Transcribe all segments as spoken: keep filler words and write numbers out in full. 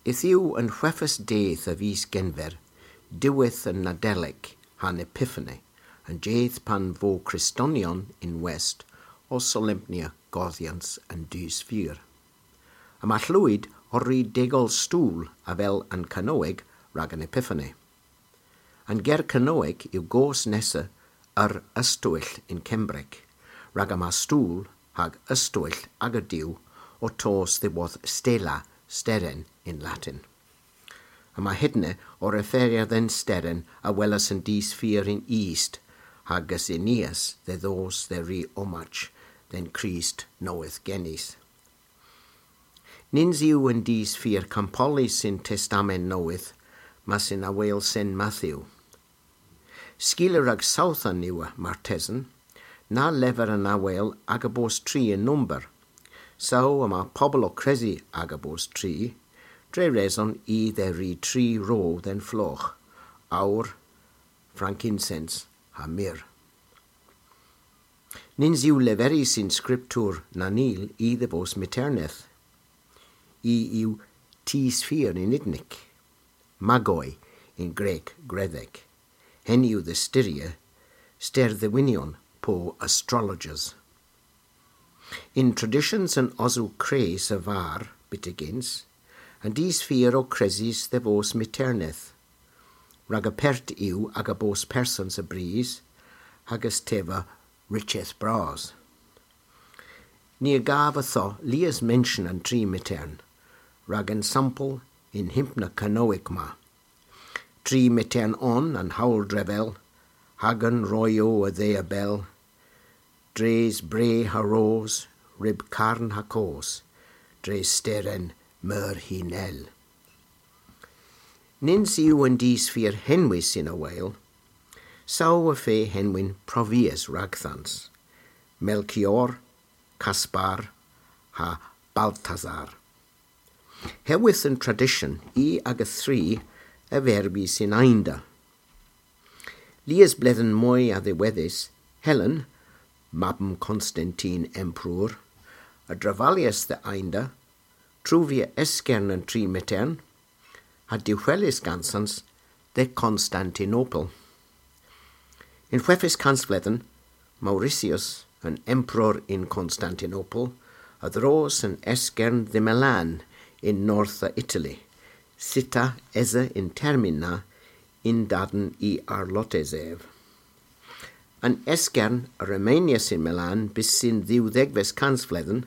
Yth yw an hweghves dydh a vis Genver, diwedh an Nadelik ha'n Epiphany, an jydh pan vo Kristonion yn West ow solempnya godhyans an dus fur. Yma Hlwyd ow ri degol stool avel an Kanowek rag an Epiphany. An ger Kanowek yw goos nessa yr ystoell yn Kembrek, rag yma stool hag ystoell aga diw ow tos dhyworth stela, steren yn Latin. Yma hedna ow referya dhe'n steren a welas an dus fur yn ist, hag a synias dhe dhos dhe ri omaj dhe'n Krist nowydh genys. Nyns yw an dus fur kampollys yn Testament Nowydh, mes yn aweyl Sen Matthew. Skila rag sowthan yw, martesen, na lever an aweyl aga bos tri yn nomber. Saw yma pobel ow kresi aga bos tri, dre reson i dhe ri tri ro dhe'n flogh, owr, frankinsens ha myrr. Nyns yw leverys yn skriptur na nil i dhe vos miterneth. I yw dus fur yn Udnik, magoi yn Grek gredhek. Henn yw dhe styrya sterdhewinyon po astrologers. Yn tradishyons an Osow Kres a-varr byttegyns, an dus fur o kresys dhe vos miterneth, rag apert yw aga bos persons a bris, hag a's teva rycheth bras. Ni a gav ytho lies mention an tri mitern, rag ensampel y'n hympna Kanowek ma. Tri mitern on an howl drevel, hag an royow a dhe a bell, dres bre ha ros, ryb karn ha kos, dres steren meur hy nell. Nyns yw an dus fur henwys yn aweyl, saw y feu henwyn provies ragdhans, Melchior, Kaspar, ha Baltasar. Herwydh an tradisyon i aga thri a verbis yn eynda. Lies bledhen moy a-dhiwedhes, Helen, mabm Konstantin Emperor, a dravalyas dhe eynda, truvya eskern an tri mitern, ha dehwelis gansans dhe Konstantinopel. Y'n hweghves kansvledhen, Mauritius, an emperor yn Konstantinopel, a dhros an eskern dhe Milan yn north a Itali, città esa y'n termyn na, yn-dadn y arlotes ev. An eskern a remenyas yn Milan bys y'n dhewdhegves kansvledhen,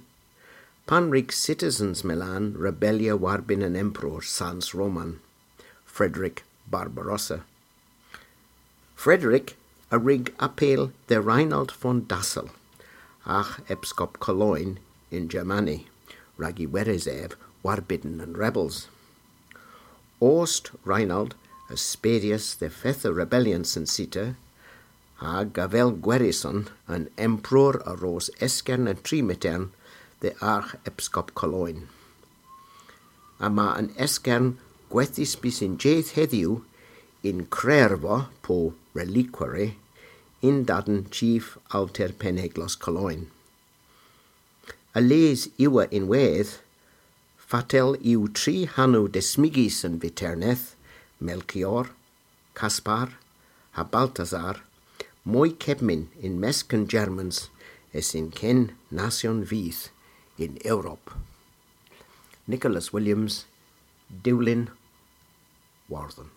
pan wrug citizens Milan rebellya warbynn an emperor sans Roman, Frederick Barbarossa. Frederick a wrug apel dhe Reinald von Dassel, arghepskop Cologne yn Germany, rag y weres ev warbynn an rebels. Ost Reinald a spedyas dhe fetha rebellyans an città, hag avel gweryson an emperor a ros eskern an tri mitern dhe arghepskop Cologne. Yma an eskern gwethys bys y'n jydh hedhyw yn krerva po reliquary yn-dadn chif alter Penneglos Cologne. A les yw ynwedh, fatel yw tri hanow desmygys an vyterneth, Melchior, Kaspar, ha Baltasar, moy kebmyn yn mysk an Germans es yn ken nasyon vyth yn Europa. Nicholas Williams, Dewlin, Wardhen.